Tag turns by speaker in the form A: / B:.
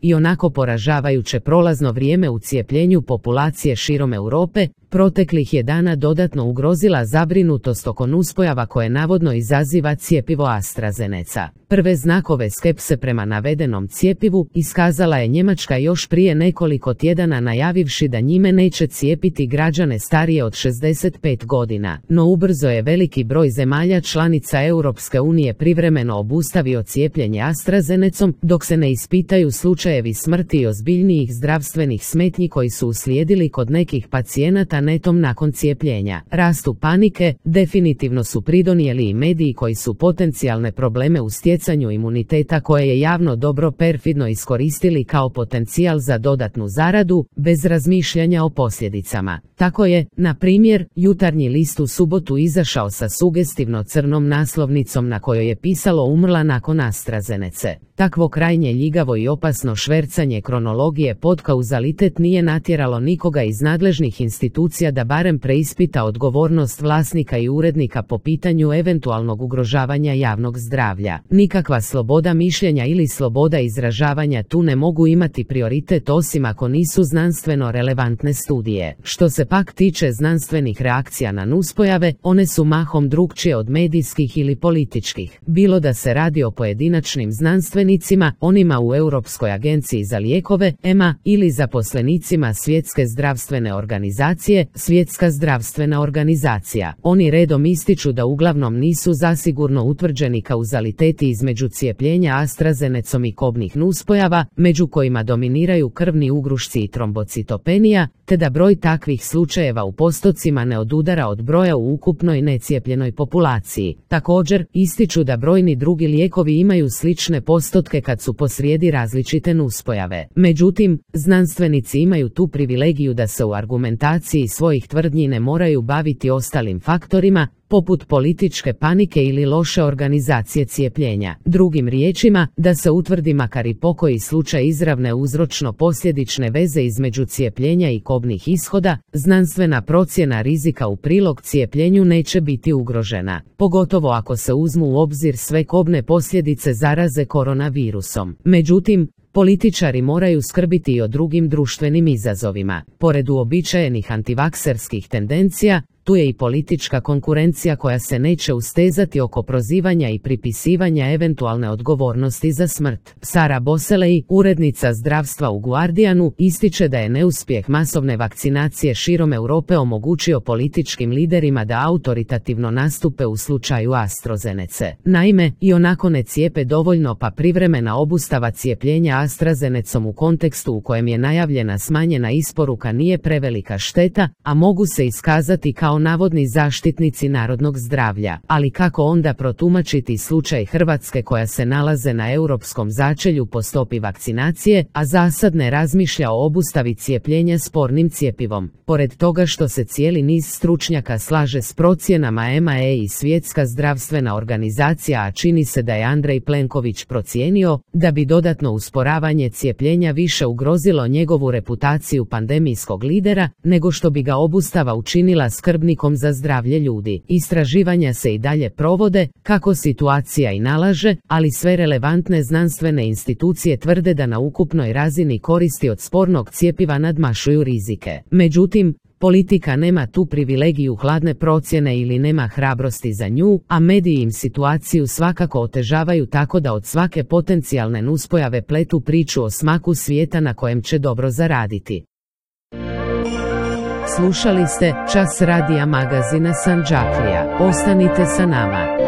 A: i onako poražavajuće prolazno vrijeme u cijepljenju populacije širom Europe, proteklih je dana dodatno ugrozila zabrinutost oko nuspojava koje navodno izaziva cjepivo AstraZeneca. Prve znakove skepse prema navedenom cjepivu iskazala je Njemačka još prije nekoliko tjedana najavivši da njime neće cijepiti građane starije od 65 godina, no ubrzo je veliki broj zemalja članica Europske unije privremeno obustavio cijepljenje AstraZenecom dok se ne ispitaju slučajevi smrti i ozbiljnijih zdravstvenih smetnji koji su uslijedili kod nekih pacijenata netom nakon cijepljenja. Rastu panike definitivno su pridonijeli i mediji koji su potencijalne probleme u stjecanju imuniteta koje je javno dobro perfidno iskoristili kao potencijal za dodatnu zaradu, bez razmišljanja o posljedicama. Tako je, na primjer, Jutarnji list u subotu izašao sa sugestivno crnom naslovnicom na kojoj je pisalo umrla nakon AstraZenece. Takvo krajnje ljigavo i opasno švercanje kronologije pod kauzalitet nije natjeralo nikoga iz nadležnih institucija da barem preispita odgovornost vlasnika i urednika po pitanju eventualnog ugrožavanja javnog zdravlja. Nikakva sloboda mišljenja ili sloboda izražavanja tu ne mogu imati prioritet osim ako nisu znanstveno relevantne studije. Što se pak tiče znanstvenih reakcija na nuspojave, one su mahom drukčije od medijskih ili političkih. Bilo da se radi o pojedinačnim znanstvenicima, onima u Europskoj agenciji za lijekove, EMA, ili zaposlenicima Svjetske zdravstvene organizacije, Svjetska zdravstvena organizacija. Oni redom ističu da uglavnom nisu zasigurno utvrđeni kauzaliteti između cijepljenja AstraZenecom i kobnih nuspojava, među kojima dominiraju krvni ugrušci i trombocitopenija, te da broj takvih slučajeva u postocima ne odudara od broja u ukupnoj necijepljenoj populaciji. Također, ističu da brojni drugi lijekovi imaju slične postotke kad su posrijedi različite nuspojave. Međutim, znanstvenici imaju tu privilegiju da se u argumentaciji svojih tvrdnji ne moraju baviti ostalim faktorima, poput političke panike ili loše organizacije cijepljenja. Drugim riječima, da se utvrdi makar i pokoji slučaj izravne uzročno-posljedične veze između cijepljenja i kobnih ishoda, znanstvena procjena rizika u prilog cijepljenju neće biti ugrožena, pogotovo ako se uzmu u obzir sve kobne posljedice zaraze koronavirusom. Međutim, političari moraju skrbiti i o drugim društvenim izazovima. Pored uobičajenih antivakserskih tendencija, tu je i politička konkurencija koja se neće ustezati oko prozivanja i pripisivanja eventualne odgovornosti za smrt. Sara Boselej, urednica zdravstva u Guardianu, ističe da je neuspjeh masovne vakcinacije širom Europe omogućio političkim liderima da autoritativno nastupe u slučaju AstraZenece. Naime, i onako ne cijepe dovoljno pa privremena obustava cijepljenja AstraZenecom u kontekstu u kojem je najavljena smanjena isporuka nije prevelika šteta, a mogu se iskazati kao navodni zaštitnici narodnog zdravlja. Ali kako onda protumačiti slučaj Hrvatske koja se nalaze na europskom začelju po stopi vakcinacije, a zasad ne razmišlja o obustavi cijepljenja spornim cjepivom? Pored toga što se cijeli niz stručnjaka slaže s procjenama EMA i Svjetska zdravstvena organizacija, a čini se da je Andrej Plenković procijenio da bi dodatno usporavanje cijepljenja više ugrozilo njegovu reputaciju pandemijskog lidera, nego što bi ga obustava učinila skrbnikom za zdravlje ljudi. Istraživanja se i dalje provode, kako situacija i nalaže, ali sve relevantne znanstvene institucije tvrde da na ukupnoj razini koristi od spornog cjepiva nadmašuju rizike. Međutim, politika nema tu privilegiju hladne procjene ili nema hrabrosti za nju, a mediji im situaciju svakako otežavaju tako da od svake potencijalne nuspojave pletu priču o smaku svijeta na kojem će dobro zaraditi. Slušali ste Čas radija magazina Sandžaklija. Ostanite sa nama.